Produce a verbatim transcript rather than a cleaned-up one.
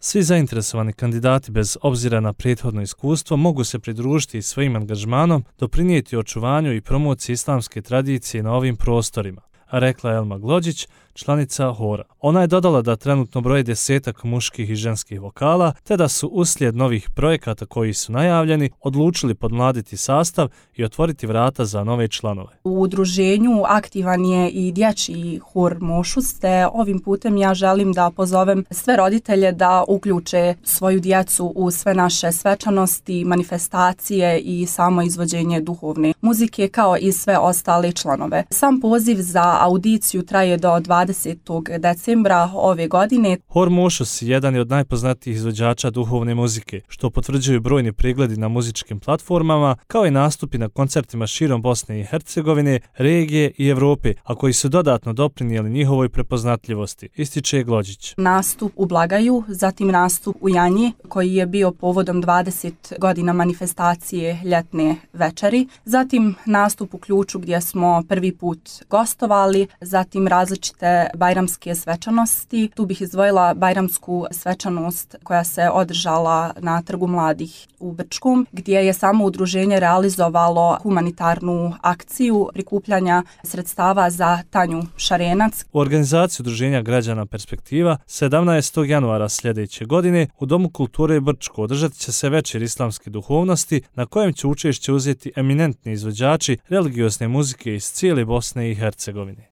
Svi zainteresovani kandidati bez obzira na prethodno iskustvo mogu se pridružiti svojim angažmanom, doprinijeti očuvanju i promociji islamske tradicije na ovim prostorima, rekla je Elma Glođić, članica hora. Ona je dodala da trenutno broje desetak muških i ženskih vokala, te da su uslijed novih projekata koji su najavljeni odlučili podmladiti sastav i otvoriti vrata za nove članove. U udruženju aktivan je i dječji hor Mošus, te ovim putem ja želim da pozovem sve roditelje da uključe svoju djecu u sve naše svečanosti, manifestacije i samo izvođenje duhovne muzike kao i sve ostale članove. Sam poziv za audiciju traje do dvadesetog decembra ove godine. Hor Mošus jedan je od najpoznatijih izvođača duhovne muzike, što potvrđuju brojni pregledi na muzičkim platformama, kao i nastupi na koncertima širom Bosne i Hercegovine, regije i Europe, a koji su dodatno doprinijeli njihovoj prepoznatljivosti, ističe Glođić. Nastup u Blagaju, zatim nastup u Janji, koji je bio povodom dvadeset godina manifestacije ljetne večeri, zatim nastup u Ključu gdje smo prvi put gostovali, zatim različite bajramske svečanosti. Tu bih izdvojila bajramsku svečanost koja se održala na Trgu mladih u Brčkom, gdje je samo udruženje realizovalo humanitarnu akciju prikupljanja sredstava za Tanju Šarenac. U organizaciji Udruženja građana Perspektiva sedamnaestog januara sljedeće godine u Domu kulture Brčko održat će se večer islamske duhovnosti na kojem će učešće uzeti eminentni izvođači religiozne muzike iz cijele Bosne i Hercegovine.